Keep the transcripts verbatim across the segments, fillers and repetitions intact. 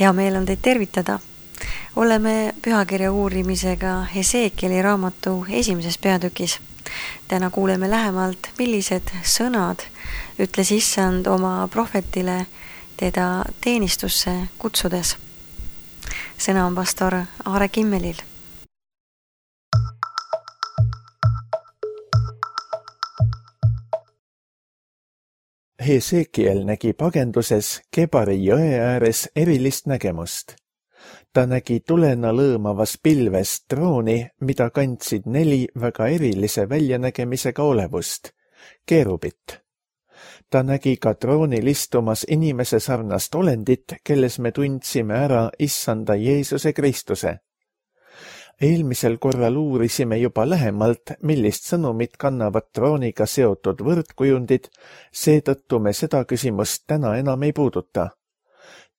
Hea meel on teid tervitada. Oleme pühakirja uurimisega Hesekieli raamatu esimeses peatükis. Täna kuuleme lähemalt, millised sõnad ütles Issand oma prohvetile teda teenistusse kutsudes. Sõna on pastor Aare Kimmelil. Hesekiel nägi pagenduses Kebari jõe ääres erilist nägemust. Ta nägi tulena lõõmavas pilves trooni, mida kandsid neli väga erilise väljanägemisega olevust, keerubit. Ta nägi ka troonil istumas inimese sarnast olendit, kelles me tundsime ära Issanda Jeesuse Kristuse. Eelmisel korral uurisime juba lähemalt, millist sõnumit kannavad trooniga seotud võrdkujundid, seetõttu me seda küsimust täna enam ei puuduta.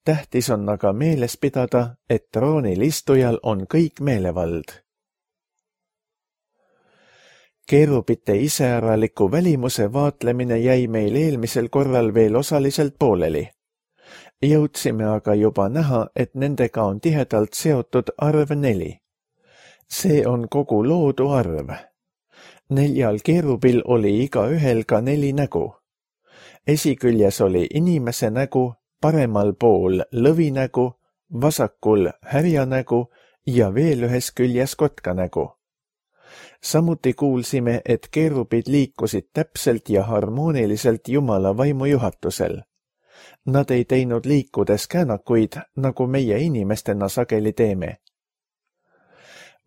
Tähtis on aga meeles pidada, et troonil istujal on kõik meelevald. Keerubite iseäraliku välimuse vaatlemine jäi meil eelmisel korral veel osaliselt pooleli. Jõudsime aga juba näha, et nendega on tihedalt seotud arv neli. See on kogu loodu arv. Neljal keerubil oli iga ühel ka neli nägu. Esiküljes oli inimese nägu, paremal pool lõvinägu, vasakul härjanägu ja veel ühes küljes kotkanägu. Samuti kuulsime, et keerubid liikusid täpselt ja harmooniliselt Jumala vaimu juhatusel. Nad ei teinud liikudes käänakuid, nagu meie inimestena sageli teeme.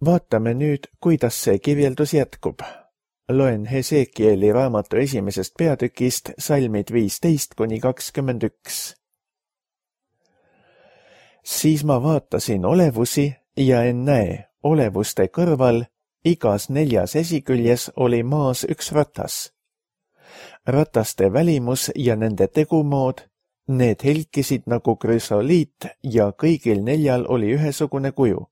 Vaatame nüüd, kuidas see kirjeldus jätkub. Loen Hesekieli raamatu esimesest peatükist salmid viisteist kuni kakskümmend üks. Siis ma vaatasin olevusi ja en näe, olevuste kõrval igas neljas esiküljes oli maas üks ratas. Rataste välimus ja nende tegumood, need helkisid nagu krüsoliit ja kõigil neljal oli ühesugune kuju.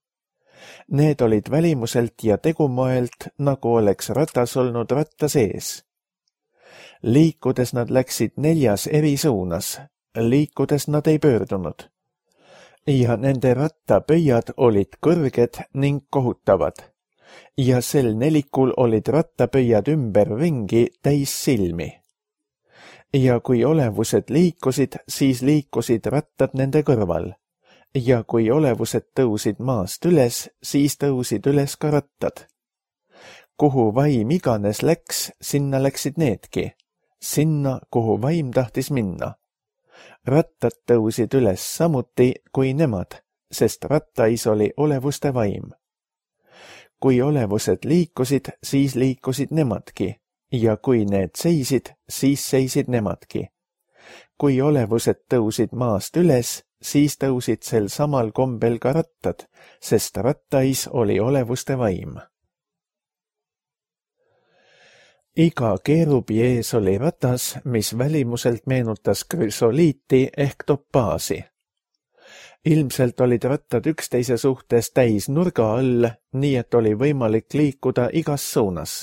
Need olid välimuselt ja tegumoelt, nagu oleks ratas olnud ratta sees. Liikudes nad läksid neljas eri suunas, liikudes nad ei pöördunud. Ja nende rattapöiad olid kõrged ning kohutavad. Ja sel nelikul olid rattapöiad ümber ringi täis silmi. Ja kui olevused liikusid, siis liikusid rattad nende kõrval. Ja kui olevused tõusid maast üles, siis tõusid üles ka rattad. Kuhu vaim iganes läks, sinna läksid needki. Sinna, kuhu vaim tahtis minna. Rattad tõusid üles samuti kui nemad, sest rattais oli olevuste vaim. Kui olevused liikusid, siis liikusid nemadki, ja kui need seisid, siis seisid nemadki. Kui olevused tõusid maast üles, siis tõusid sel samal kombel ka rattad, sest rattais oli olevuste vaim. Iga keerubi ees oli ratas, mis välimuselt meenutas krüsoliiti ehk toppaasi. Ilmselt olid rattad üksteise suhtes täis nurga all, nii et oli võimalik liikuda igas suunas.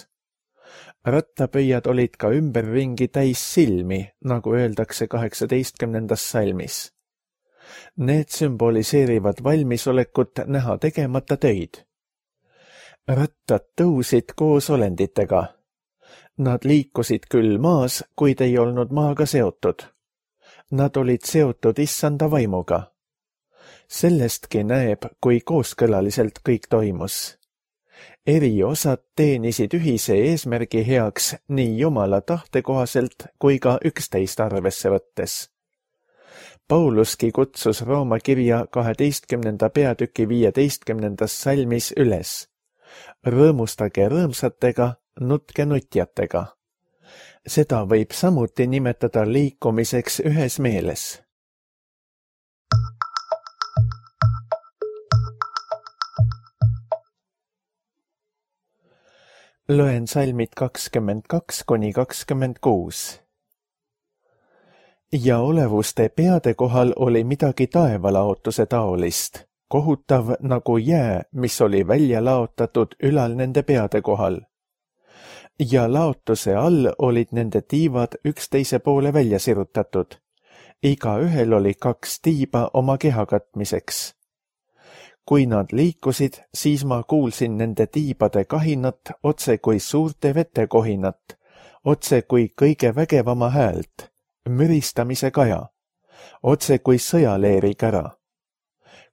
Rattapöiad olid ka ümberringi täis silmi, nagu öeldakse kaheksateistkümnendas salmis. Need sümboliseerivad valmisolekut näha tegemata töid. Rattad tõusid koos olenditega. Nad liikusid küll maas, kuid ei olnud maaga seotud. Nad olid seotud Issanda vaimuga. Sellestki näeb, kui kooskõlaliselt kõik toimus. Eri osad teenisid ühise eesmärgi heaks nii Jumala tahte kohaselt kui ka üksteist arvesse võttes. Pauluski kutsus Rooma kirja kaheteistkümnenda peatüki viieteistkümnendas salmis üles. Rõõmustage rõõmsatega, nutke nutjatega. Seda võib samuti nimetada liikumiseks ühes meeles. Loen salmid kakskümmend kaks kuni kakskümmend kuus. Ja olevuste peade kohal oli midagi taevalaotuse taolist, kohutav nagu jää, mis oli välja laotatud ülal nende peade kohal. Ja laotuse all olid nende tiivad üksteise poole välja sirutatud Igaühel oli kaks tiiba oma keha katmiseks. Kui nad liikusid, siis ma kuulsin nende tiibade kahinat otse kui suurte vetekohinat, otse kui kõige vägevama häält, müristamise kaja, otse kui sõjaleeri kära.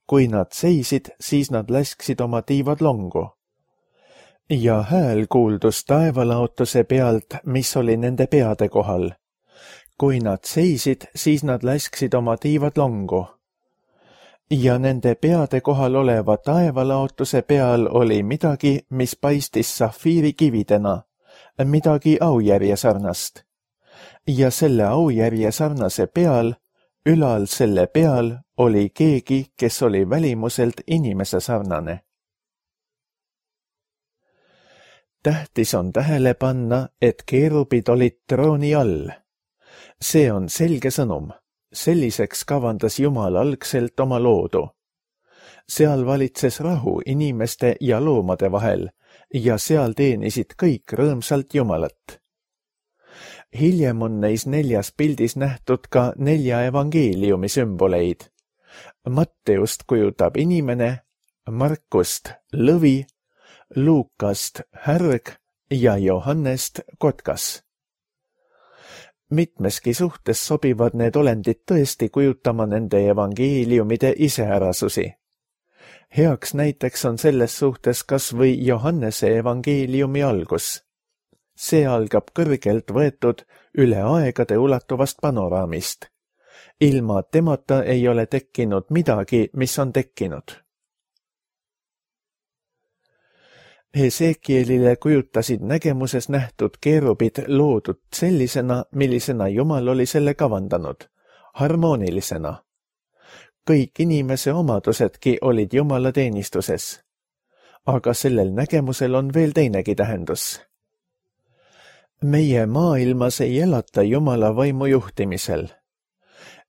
Kui nad seisid, siis nad läsksid oma tiivad longu. Ja hääl kuuldus taevalaotuse pealt, mis oli nende peade kohal. Kui nad seisid, siis nad läsksid oma tiivad longu. Ja nende peade kohal oleva taevalaotuse peal oli midagi, mis paistis safiirikividena, midagi aujärje sarnast. Ja selle aujärje sarnase peal, ülal selle peal, oli keegi, kes oli välimuselt inimese sarnane. Tähtis on tähele panna, et keerubid olid trooni all. See on selge sõnum. Selliseks kavandas Jumal algselt oma loodu. Seal valitses rahu inimeste ja loomade vahel ja seal teenisid kõik rõõmsalt Jumalat. Hiljem on neis neljas pildis nähtud ka nelja evangeeliumi sümboleid. Matteust kujutab inimene, Markust lõvi, Luukast härg ja Johannest kotkas. Mitmeski suhtes sobivad need olendid tõesti kujutama nende evangeeliumide iseärasusi. Heaks näiteks on selles suhtes kas või Johannese evangeeliumi algus. See algab kõrgelt võetud üle aegade ulatuvast panoraamist. Ilma temata ei ole tekkinud midagi, mis on tekkinud. Hesekielile kujutasid nägemuses nähtud keerubid loodud sellisena, millisena Jumal oli selle kavandanud, harmoonilisena. Kõik inimese omadusedki olid Jumala teenistuses. Aga sellel nägemusel on veel teinegi tähendus. Meie maailmas ei elata Jumala vaimu juhtimisel.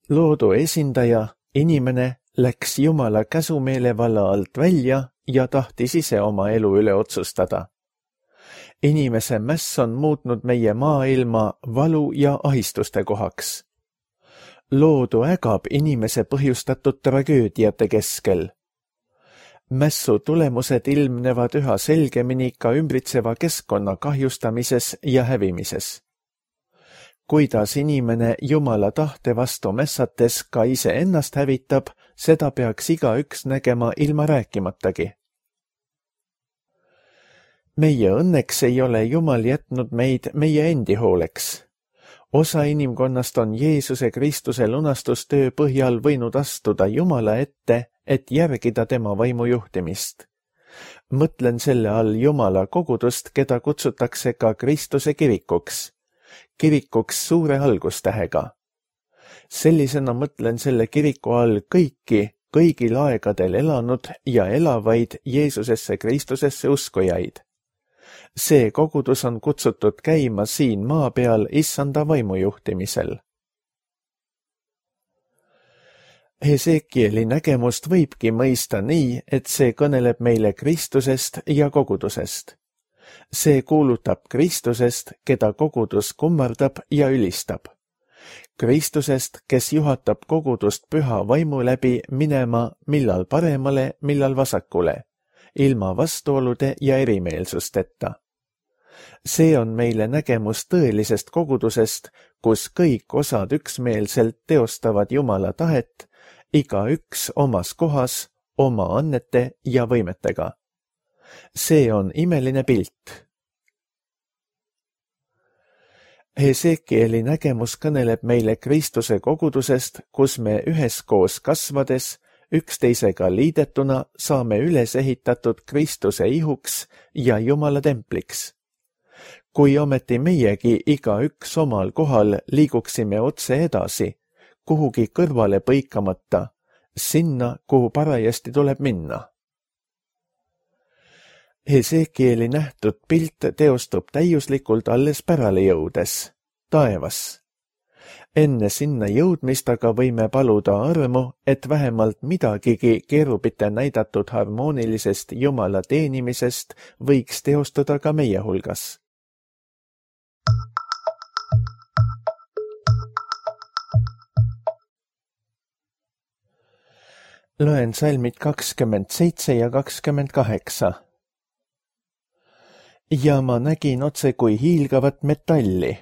Loodu esindaja, inimene, läks Jumala käsumeelevalla alt välja ja tahtis ise oma elu üle otsustada. Inimese mäss on muutnud meie maailma valu ja ahistuste kohaks. Loodu ägab inimese põhjustatud tragöödiate keskel. Mässu tulemused ilmnevad üha selgemini ka ümbritseva keskkonna kahjustamises ja hävimises. Kuidas inimene Jumala tahte vastu mässates ka ise ennast hävitab, seda peaks igaüks nägema ilma rääkimatagi. Meie õnneks ei ole Jumal jätnud meid meie endi hooleks. Osa inimkonnast on Jeesuse Kristuse lunastustöö põhjal võinud astuda Jumala ette, et järgida tema vaimu juhtimist. Mõtlen selle all Jumala kogudust, keda kutsutakse ka Kristuse kirikuks. Kirikuks suure algustähega. Sellisena mõtlen selle kiriku all kõiki, kõigil aegadel elanud ja elavaid Jeesusesse Kristusesse uskujaid. See kogudus on kutsutud käima siin maa peal issanda vaimu juhtimisel. Hesekieli nägemust võibki mõista nii, et see kõneleb meile Kristusest ja kogudusest. See kuulutab Kristusest, keda kogudus kummardab ja ülistab. Kristusest, kes juhatab kogudust püha vaimu läbi minema millal paremale, millal vasakule, ilma vastuolude ja erimeelsusteta. See on meile nägemus tõelisest kogudusest, kus kõik osad üksmeelselt teostavad Jumala tahet, igaüks omas kohas, oma annete ja võimetega. See on imeline pilt. Hesekieli nägemus kõneleb meile Kristuse kogudusest, kus me üheskoos kasvades, üksteisega liidetuna saame üles ehitatud Kristuse ihuks ja Jumala templiks. Kui ometi meiegi igaüks omal kohal liiguksime otse edasi, kuhugi kõrvale põikamata, sinna, kuhu parajasti tuleb minna. Hesekieli nähtud pilt teostub täiuslikult alles pärale jõudes, taevas. Enne sinna jõudmist aga võime paluda armu, et vähemalt midagigi keerubite näidatud harmoonilisest Jumala teenimisest võiks teostuda ka meie hulgas. Loen salmid kakskümmend seitse ja kakskümmend kaheksa. Ja ma nägin otse kui hiilgavat metalli,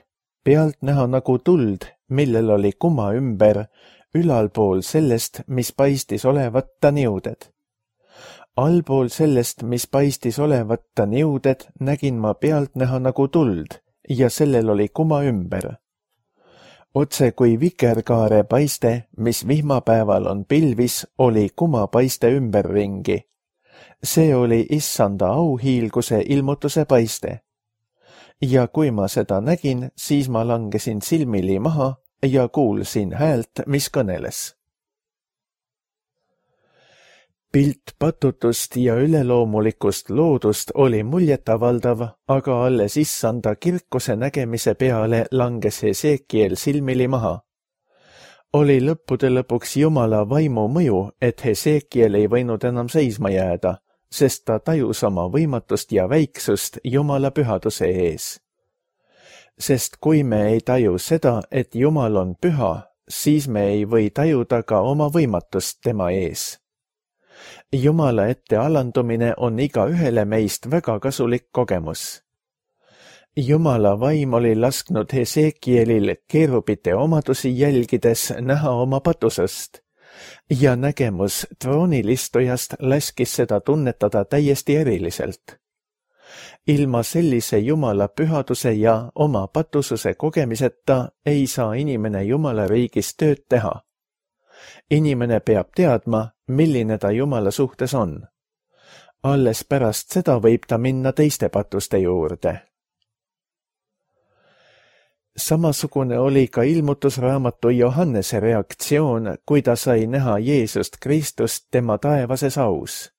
pealt näha nagu tuld, millel oli kuma ümber, ülalpool sellest, mis paistis olevat ta niuded. Allpool sellest, mis paistis olevat ta niuded, nägin ma pealt näha nagu tuld ja sellel oli kuma ümber. Otse kui vikerkaare paiste, mis vihmapäeval on pilvis, oli kuma paiste ümberringi. See oli issanda auhiilguse ilmutuse paiste. Ja kui ma seda nägin, siis ma langesin silmili maha ja kuulsin häält, mis kõneles. Pilt patutust ja üleloomulikust loodust oli muljetavaldav, aga alles issanda kirkuse nägemise peale langes Hesekiel silmili maha. Oli lõppude lõpuks Jumala vaimu mõju, et Hesekiel ei võinud enam seisma jääda, sest ta tajus oma võimatust ja väiksust Jumala pühaduse ees. Sest kui me ei taju seda, et Jumal on püha, siis me ei või tajuda ka oma võimatust tema ees. Jumala ette alandumine on iga ühele meist väga kasulik kogemus. Jumala vaim oli lasknud Hesekielil keerubite omadusi jälgides näha oma patusest ja nägemus troonilistujast laskis seda tunnetada täiesti eriliselt. Ilma sellise Jumala pühaduse ja oma patususe kogemiseta ei saa inimene Jumala riigis tööd teha. Inimene peab teadma, milline ta Jumala suhtes on. Alles pärast seda võib ta minna teiste patuste juurde. Samasugune oli ka ilmutusraamatu Johannese reaktsioon, kui ta sai näha Jeesust Kristust tema taevases aus.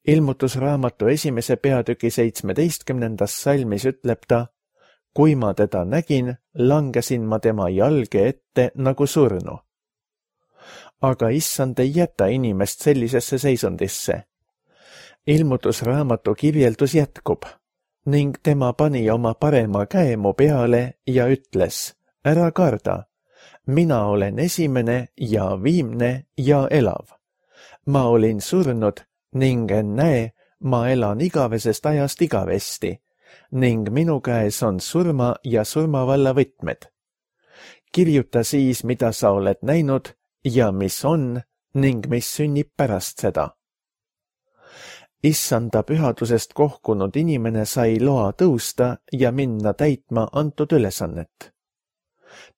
Ilmutusraamatu esimese peatüki seitsmeteistkümnendas salmis ütleb ta, kui ma teda nägin, langesin ma tema jalge ette nagu surnu. Aga issand ei jäta inimest sellisesse seisundisse. Ilmutusraamatu kirjeldus jätkub ning tema pani oma parema käe mu peale ja ütles, ära karda, mina olen esimene ja viimne ja elav. Ma olin surnud ning ennäe, ma elan igavesest ajast igavesti ning minu käes on surma ja surmavalla võtmed. Kirjuta siis, mida sa oled näinud ja mis on ning mis sünnib pärast seda. Issanda pühadusest kohkunud inimene sai loa tõusta ja minna täitma antud ülesannet.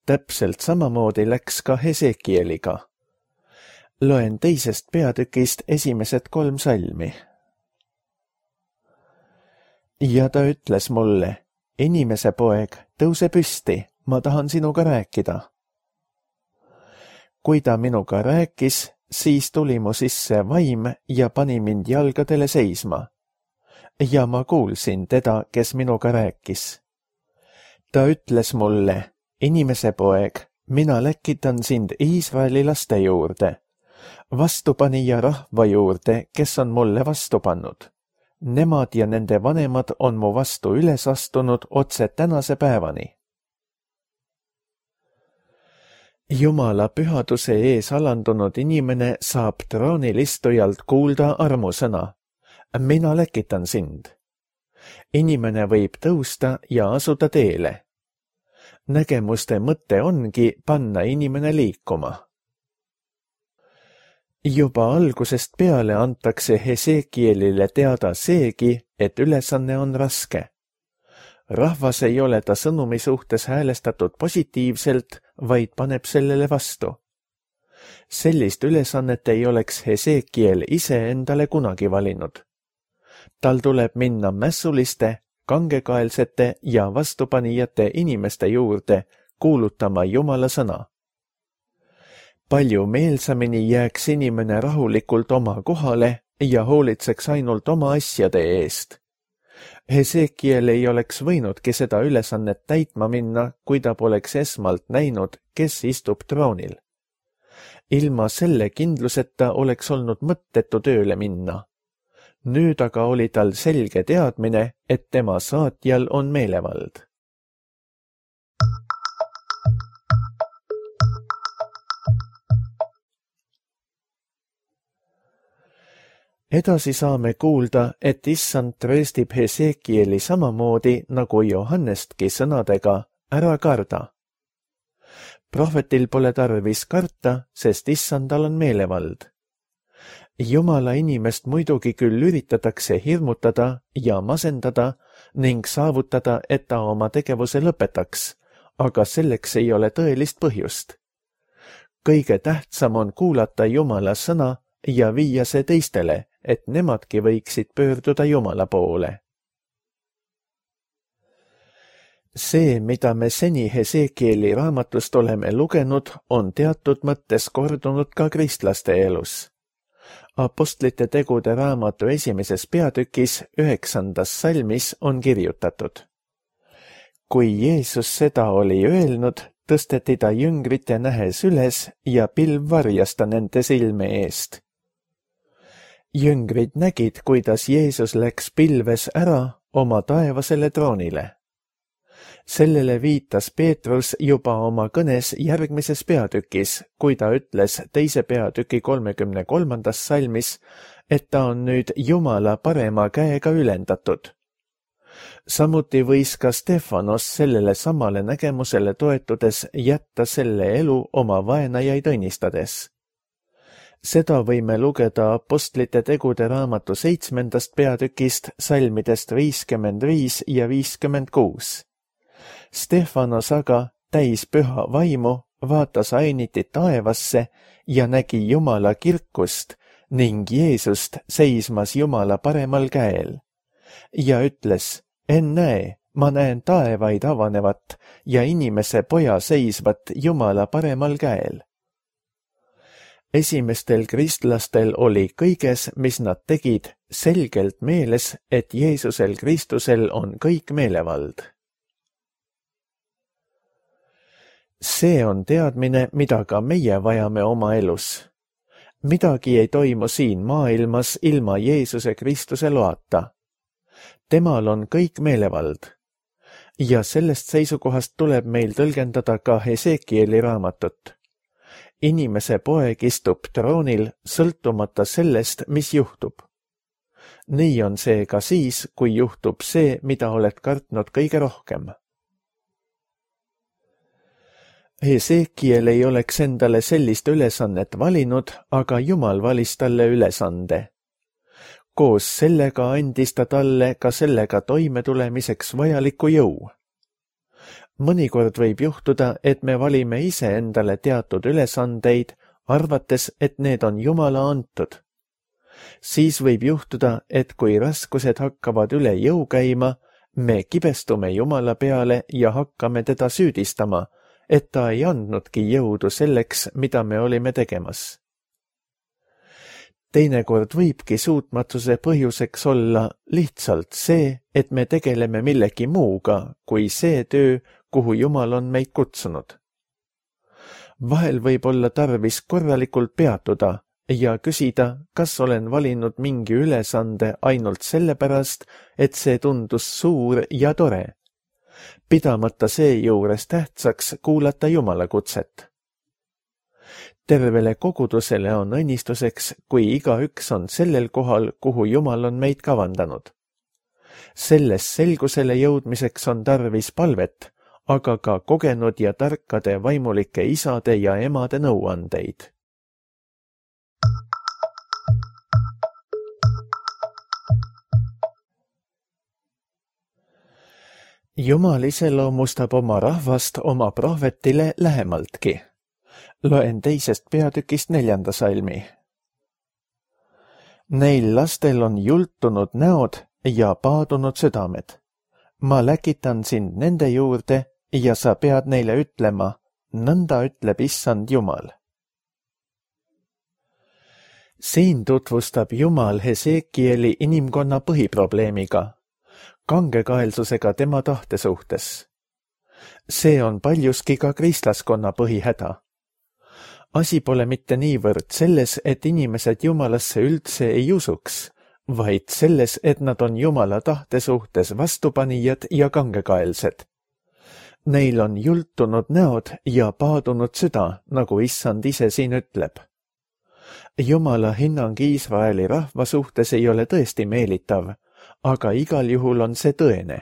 Täpselt samamoodi läks ka Hesekieliga. Loen teisest peatükist esimesed kolm salmi. Ja ta ütles mulle, inimese poeg, tõuse püsti, ma tahan sinuga rääkida. Kui ta minuga rääkis, siis tuli mu sisse vaim ja pani mind jalgadele seisma. Ja ma kuulsin teda, kes minuga rääkis. Ta ütles mulle, inimese poeg, mina läkitan sind Iisraeli laste juurde, vastupanija rahva juurde, kes on mulle vastu pannud. Nemad ja nende vanemad on mu vastu üles astunud otse tänase päevani. Jumala pühaduse ees alandunud inimene saab troonilistujalt kuulda armusõna. Mina läkitan sind. Inimene võib tõusta ja asuda teele. Nägemuste mõte ongi panna inimene liikuma. Juba algusest peale antakse Hesekielile teada seegi, et ülesanne on raske. Rahvas ei ole ta sõnumi suhtes häälestatud positiivselt, vaid paneb sellele vastu. Sellist ülesannet ei oleks Hesekiel ise endale kunagi valinud. Tal tuleb minna mässuliste, kangekaelsete ja vastupanijate inimeste juurde kuulutama Jumala sõna. Palju meelsamini jääks inimene rahulikult oma kohale ja hoolitseks ainult oma asjade eest. Hesekiel ei oleks võinudki seda ülesannet täitma minna, kui ta poleks esmalt näinud, kes istub troonil. Ilma selle kindluseta oleks olnud mõttetu tööle minna. Nüüd aga oli tal selge teadmine, et tema saatjal on meelevald. edasi saame kuulda, et issand trööstib Hesekieli samamoodi nagu Johannestki sõnadega ära karda. Prohvetil pole tarvis karta, sest issandal on meelevald. Jumala inimest muidugi küll üritatakse hirmutada ja masendada ning saavutada, et ta oma tegevuse lõpetaks, aga selleks ei ole tõelist põhjust. Kõige tähtsam on kuulata Jumala sõna ja viia see teistele, et nemadki võiksid pöörduda Jumala poole. See, mida me seni Hesekieli raamatust oleme lugenud, on teatud mõttes kordunud ka kristlaste elus. Apostlite tegude raamatu esimeses peatükis üheksandas salmis on kirjutatud. Kui Jeesus seda oli öelnud, tõsteti ta jüngrite nähes üles ja pilv varjas ta nende silme eest. Jüngrid nägid, kuidas Jeesus läks pilves ära oma taevasele troonile. Sellele viitas Peetrus juba oma kõnes järgmises peatükis, kui ta ütles teise peatüki kolmekümne kolmandas salmis, et ta on nüüd Jumala parema käega ülendatud. Samuti võis ka Stefanos sellele samale nägemusele toetudes jätta selle elu oma vaenajaid õnnistades. Seda võime lugeda Apostlite tegude raamatu seitsmendast peatükist salmidest viiskümmend viis ja viiskümmend kuus. Stefanos aga, täis püha vaimu, vaatas ainiti taevasse ja nägi Jumala kirkust ning Jeesust seismas Jumala paremal käel. Ja ütles, ennäe, ma näen taevaid avanevat ja inimese poja seisvat Jumala paremal käel. Esimestel kristlastel oli kõiges, mis nad tegid, selgelt meeles, et Jeesusel Kristusel on kõik meelevald. See on teadmine, mida ka meie vajame oma elus. Midagi ei toimu siin maailmas ilma Jeesuse Kristuse loata. Temal on kõik meelevald. Ja sellest seisukohast tuleb meil tõlgendada ka Hesekieli raamatut. Inimese poeg istub troonil sõltumata sellest, mis juhtub. Nii on see ka siis, kui juhtub see, mida oled kartnud kõige rohkem. Hesekiel ei oleks endale sellist ülesannet valinud, aga Jumal valis talle ülesande. Koos sellega andis ta talle ka sellega toimetulemiseks vajaliku jõu. Mõnikord võib juhtuda, et me valime ise endale teatud ülesandeid, arvates, et need on Jumala antud. Siis võib juhtuda, et kui raskused hakkavad üle jõu käima, me kibestume Jumala peale ja hakkame teda süüdistama, et ta ei andnudki jõudu selleks, mida me olime tegemas. Teinekord võibki suutmatuse põhjuseks olla lihtsalt see, et me tegeleme millegi muuga, kui see töö, kuhu Jumal on meid kutsunud. Vahel võib olla tarvis korralikult peatuda ja küsida, kas olen valinud mingi ülesande ainult sellepärast, et see tundus suur ja tore, pidamata seejuures tähtsaks kuulata Jumala kutset. Tervele kogudusele on õnnistuseks, kui igaüks on sellel kohal, kuhu Jumal on meid kavandanud. Selles selgusele jõudmiseks on tarvis palvet, aga ka kogenud ja tarkade vaimulike isade ja emade nõuandeid. Jumal iseloomustab oma rahvast oma prohvetile lähemaltki. Loen teisest peatükist neljanda salmi. Neil lastel on jultunud näod ja paadunud südamed. Ma läkitan sind nende juurde ja sa pead neile ütlema, nõnda ütleb issand Jumal. Siin tutvustab Jumal Hesekieli inimkonna põhiprobleemiga, kangekaelsusega tema tahte suhtes. See on paljuski ka kristlaskonna põhihäda. Asi pole mitte niivõrd selles, et inimesed Jumalasse üldse ei usuks, vaid selles, et nad on Jumala tahte suhtes vastupanijad ja kangekaelsed. Neil on jultunud näod ja paadunud süda, nagu issand ise siin ütleb. Jumala hinnang Iisraeli rahva suhtes ei ole tõesti meelitav, aga igal juhul on see tõene.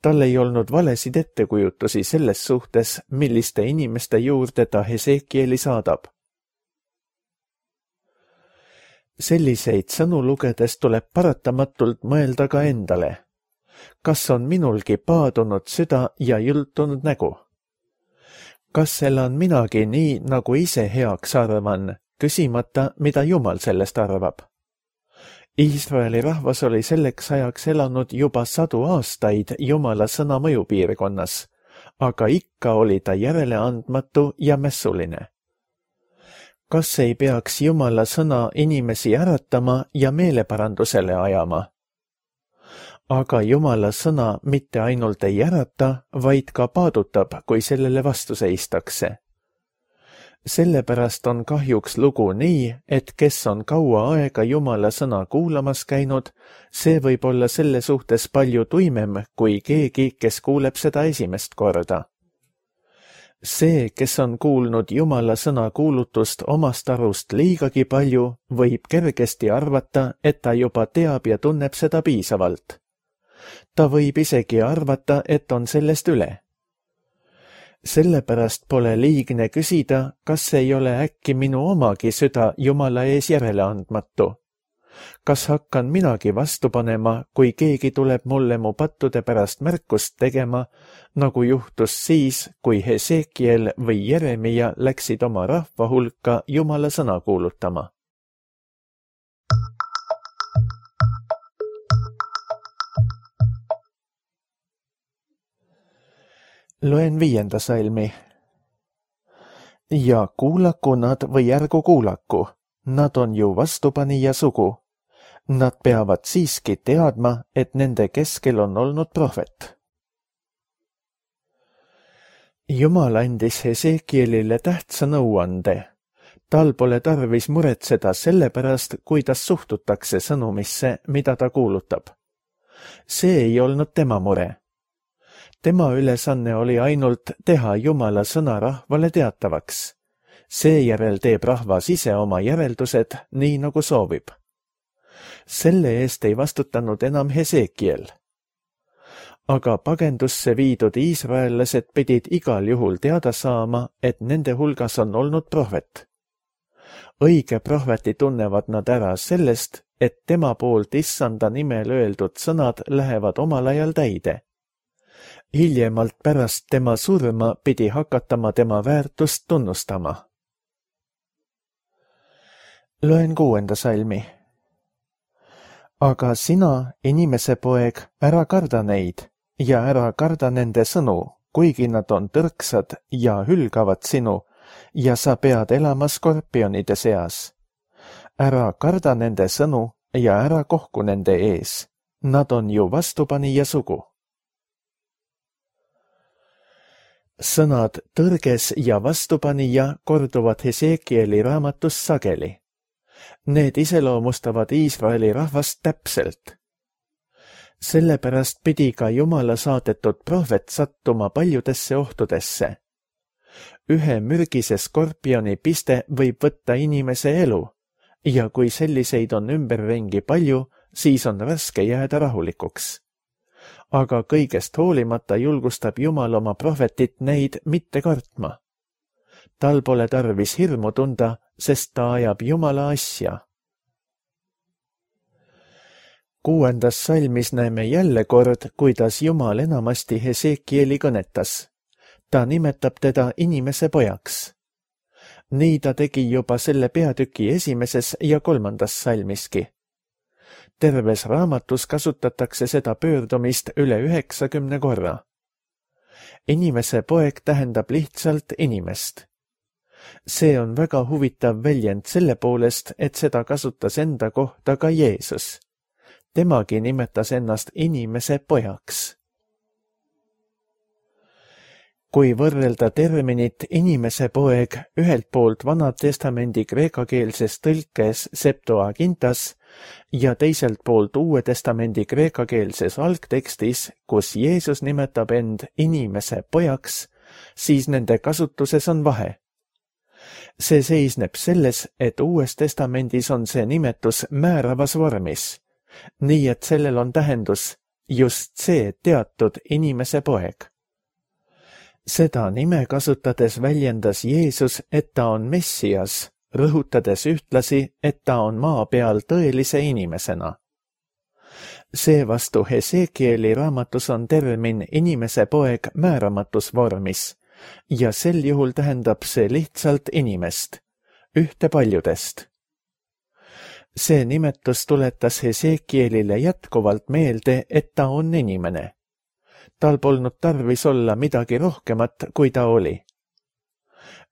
Tal ei olnud valesid ettekujutusi selles suhtes, milliste inimeste juurde ta Hesekieli saadab. Selliseid sõnu lugedes tuleb paratamatult mõelda ka endale. Kas on minulgi paadunud süda ja jultunud nägu? Kas elan minagi nii, nagu ise heaks arvan, küsimata, mida Jumal sellest arvab? Iisraeli rahvas oli selleks ajaks elanud juba sadu aastaid Jumala sõna mõjupiirkonnas, aga ikka oli ta järeleandmatu ja mässuline. Kas ei peaks Jumala sõna inimesi äratama ja meeleparandusele ajama? Aga Jumala sõna mitte ainult ei ärata, vaid ka paadutab, kui sellele vastu seistakse. Sellepärast on kahjuks lugu nii, et kes on kaua aega Jumala sõna kuulamas käinud, see võib olla selle suhtes palju tuimem kui keegi, kes kuuleb seda esimest korda. See, kes on kuulnud Jumala sõna kuulutust omast arust liigagi palju, võib kergesti arvata, et ta juba teab ja tunneb seda piisavalt. Ta võib isegi arvata, et on sellest üle. Sellepärast pole liigne küsida, kas ei ole äkki minu omagi süda Jumala ees järeleandmatu. Kas hakkan minagi vastu panema, kui keegi tuleb mulle mu pattude pärast märkust tegema, nagu juhtus siis, kui Hesekiel või Jeremia läksid oma rahva hulka Jumala sõna kuulutama? Loen viienda salmi. Ja kuulaku nad või ärgu kuulaku, nad on ju vastupanija sugu. Nad peavad siiski teadma, et nende keskel on olnud prohvet. Jumal andis Hesekielile tähtsa nõuande. Tal pole tarvis muretseda selle pärast, kuidas suhtutakse sõnumisse, mida ta kuulutab. See ei olnud tema mure. Tema ülesanne oli ainult teha Jumala sõna rahvale teatavaks. Seejärel teeb rahvas ise oma järeldused, nii nagu soovib. Selle eest ei vastutanud enam Hesekiel. Aga pagendusse viidud iisraellased pidid igal juhul teada saama, et nende hulgas on olnud prohvet. Õige prohveti tunnevad nad ära sellest, et tema poolt issanda nimel öeldud sõnad lähevad omal ajal täide. Hiljemalt pärast tema surma pidi hakatama tema väärtust tunnustama. Loen kuuenda salmi. Aga sina, inimese poeg, ära karda neid ja ära karda nende sõnu, kuigi nad on tõrksad ja hülgavad sinu ja sa pead elama skorpionide seas. Ära karda nende sõnu ja ära kohku nende ees. Nad on ju vastupanija sugu. Sõnad tõrges ja vastupanija korduvad Hesekieli raamatus sageli. Need iseloomustavad Iisraeli rahvast täpselt. Sellepärast pidi ka Jumala saadetud prohvet sattuma paljudesse ohtudesse. Ühe mürgise skorpioni piste võib võtta inimese elu ja kui selliseid on ümberringi palju, siis on raske jääda rahulikuks. Aga kõigest hoolimata julgustab Jumal oma prohvetit neid mitte kartma. Tal pole tarvis hirmu tunda, sest ta ajab Jumala asja. Kuuendas salmis näeme jälle kord, kuidas Jumal enamasti Hesekieli kõnetas. Ta nimetab teda inimese pojaks. Nii ta tegi juba selle peatüki esimeses ja kolmandas salmiski. Terves raamatus kasutatakse seda pöördumist üle üheksakümne korra. Inimese poeg tähendab lihtsalt inimest. See on väga huvitav väljend selle poolest, et seda kasutas enda kohta ka Jeesus. Temagi nimetas ennast inimese pojaks. Kui võrrelda terminit inimese poeg ühelt poolt Vana Testamendi kreekakeelses tõlkes Septuagintas ja teiselt poolt Uue Testamendi kreekakeelses algtekstis, kus Jeesus nimetab end inimese pojaks, siis nende kasutuses on vahe. See seisneb selles, et Uues Testamendis on see nimetus määravas vormis, nii et sellel on tähendus just see teatud inimese poeg. Seda nime kasutades väljendas Jeesus, et ta on Messias, rõhutades ühtlasi, et ta on maa peal tõelise inimesena. Seevastu Hesekieli raamatus on termin inimese poeg määramatus vormis ja sel juhul tähendab see lihtsalt inimest, ühte paljudest. See nimetus tuletas Hesekielile jätkuvalt meelde, et ta on inimene. Tal polnud tarvis olla midagi rohkemat, kui ta oli.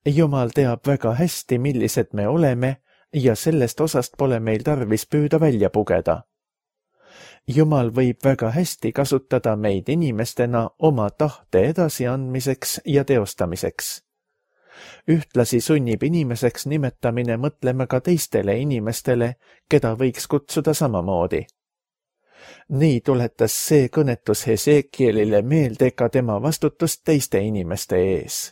Jumal teab väga hästi, millised me oleme ja sellest osast pole meil tarvis püüda välja pugeda. Jumal võib väga hästi kasutada meid inimestena oma tahte edasiandmiseks ja teostamiseks. Ühtlasi sunnib inimeseks nimetamine mõtlema ka teistele inimestele, keda võiks kutsuda samamoodi. Nii tuletas see kõnetus Hesekielile meelde ka tema vastutust teiste inimeste ees.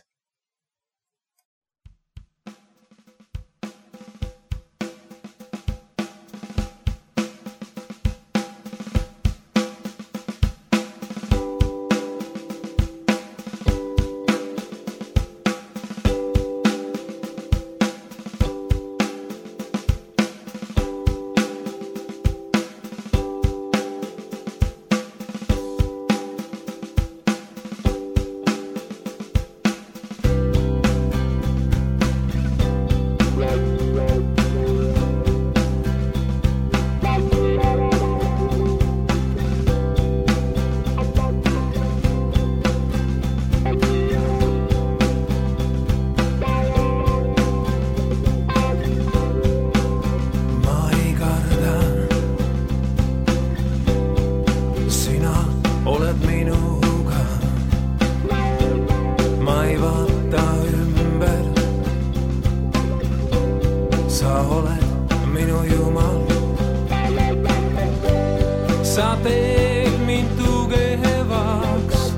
Sa teed mind tugevaks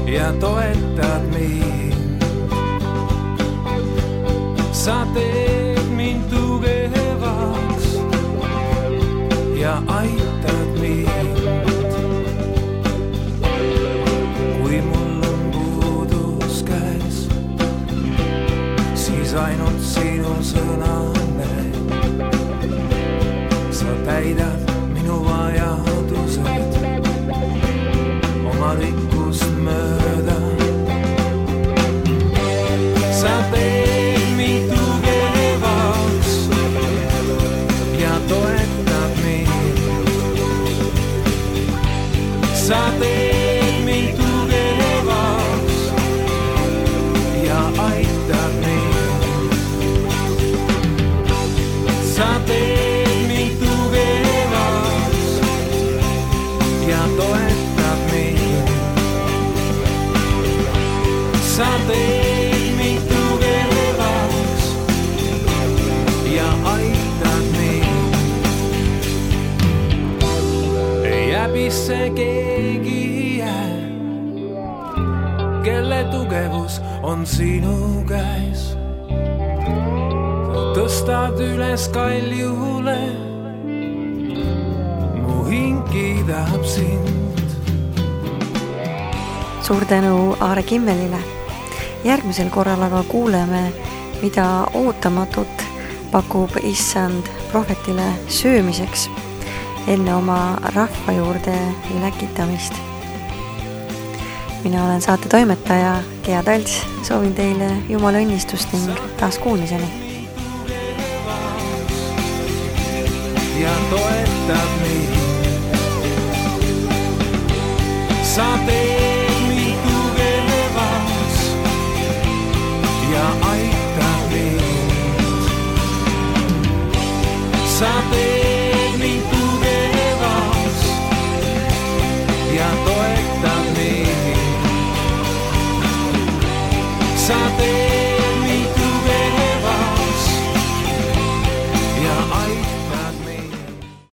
ja toetad mind. Sa teed mind tugevaks ja aitad mind. Kui mul on puudus käes, siis ainult sinu sõnane. Sa täidad minu vajadused oma rikkust mööda. Sa teed mind tugevaks ja toetad mind. Sa teed mind tugevaks ja aitad mind. Sa teed mind tugevaks ja toetad mind. Sa teed mind tugevaks ja aitad mind. Ei häbisse keegi jää, kelle tugevus on sinu käes. Sa tõstad üles kaljule, mu hing kiidab sind. Suur tänu Aare Kimmelile. Järgmisel korral aga kuuleme, mida ootamatut pakub issand prohvetile söömiseks enne oma rahva juurde läkitamist. Mina olen saate toimetaja Gea Talts. Soovin teile Jumala õnnistust ning taas kuulmiseni. Ja toetab